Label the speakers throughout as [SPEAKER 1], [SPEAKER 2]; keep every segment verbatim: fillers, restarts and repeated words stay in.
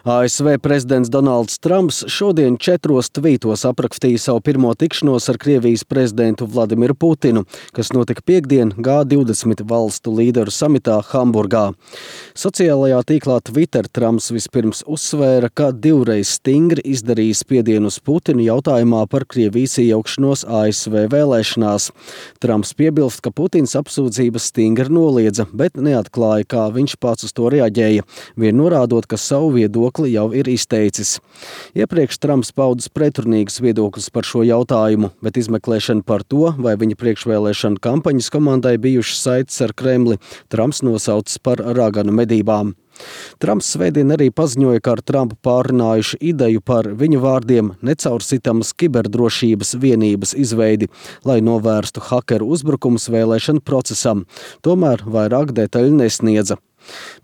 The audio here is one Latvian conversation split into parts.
[SPEAKER 1] A S V prezidents Donalds Trumps šodien četros tvītos aprakstīja savu pirmo tikšanos ar Krievijas prezidentu Vladimiru Putinu, kas notika piektdien G divdesmit valstu līderu samitā Hamburgā. Sociālajā tīklā Twitter Trumps vispirms uzsvēra, ka divreiz stingri izdarījis spiedienu uz Putinu jautājumā par Krievijas iejaukšanos A S V vēlēšanās. Trumps piebilst, ka Putins apsūdzības stingri noliedza, bet neatklāja, kā viņš pats uz to reaģēja, vien norādot, ka savu viedokli jau ir izteicis. Iepriekš Trumps paudis pretrunīgus viedokļus par šo jautājumu, bet izmeklēšana par to, vai viņa priekšvēlēšana kampaņas komandai bijušas saites ar Kremli, Trumps nosaucis par raganu medībām. Trumps svētdien arī paziņoja, ka ar Trumpu pārrunājuši ideju par viņu vārdiem necaursitamas kiberdrošības vienības izveidi, lai novērstu hakeru uzbrukumus vēlēšanu procesam. Tomēr vairāk detaļu nesniedza.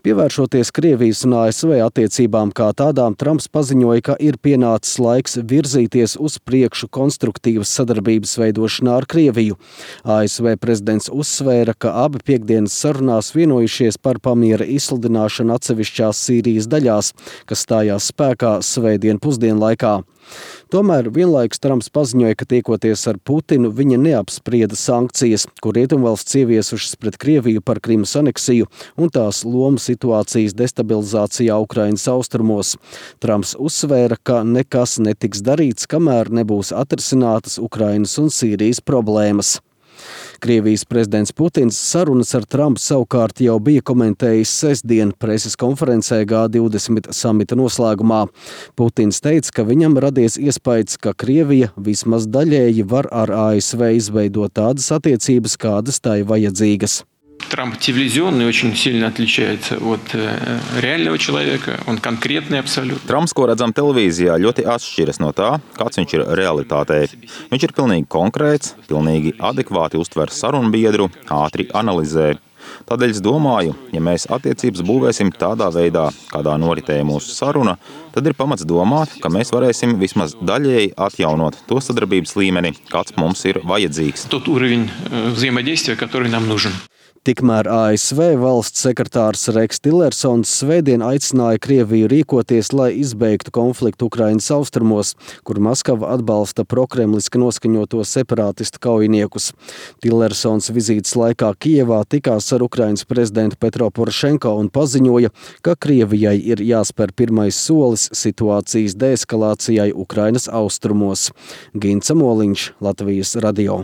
[SPEAKER 1] Pievēršoties Krievijas un A S V attiecībām kā tādām, Trumps paziņoja, ka ir pienācis laiks virzīties uz priekšu konstruktīvas sadarbības veidošanā ar Krieviju. A S V prezidents uzsvēra, ka abi piektdienas sarunās vienojušies par pamiera izsludināšanu atsevišķās Sīrijas daļās, kas stājās spēkā svētdien pusdienlaikā. Tomēr vienlaikus Trumps paziņoja, ka tiekoties ar Putinu, viņa neapsprieda sankcijas, ko Rietumvalsts ieviesušas pret Krieviju par Krimas aneksiju un tās lomu situācijas destabilizācijā Ukrainas austrumos. Trumps uzsvēra, ka nekas netiks darīts, kamēr nebūs atrisinātas Ukrainas un Sīrijas problēmas. Krievijas prezidents Putins sarunas ar Trumpu savukārt jau bija komentējis sestdien preses konferencē G divdesmit samita noslēgumā. Putins teica, ka viņam radies iespējas, ka Krievija vismaz daļēji var ar A S V izveidot tādas attiecības, kādas tai vajadzīgas.
[SPEAKER 2] Трамп телевизионный очень сильно отличается от реального человека, он конкретный абсолютно.
[SPEAKER 3] Trumps, ko redzam televīzijā, ļoti atšķiras no tā, kāds viņš ir realitātē. Viņš ir pilnīgi konkrēts, pilnīgi adekvāti uztver sarunbiedru, ātri analizē. Tādēļ es domāju, ja mēs attiecības būvēsim tādā veidā, kādā noritēja mūsu saruna, tad ir pamats domāt, ka mēs varēsim vismaz daļēji atjaunot to sadarbības līmeni, kāds mums ir vajadzīgs.
[SPEAKER 2] Тот уровень взаимодействия, который нам нужен.
[SPEAKER 1] Tikmēr A S V valsts sekretārs Reks Tillersons svētdien aicināja Krieviju rīkoties, lai izbeigtu konfliktu Ukrainas austrumos, kur Maskava atbalsta prokremliski noskaņoto separātistu kaujiniekus. Tillersons vizītes laikā Kijevā tikās ar Ukrainas prezidentu Petro Porošenko un paziņoja, ka Krievijai ir jāspēr pirmais solis situācijas deeskalācijai Ukrainas austrumos. Gints Amoliņš, Latvijas radio.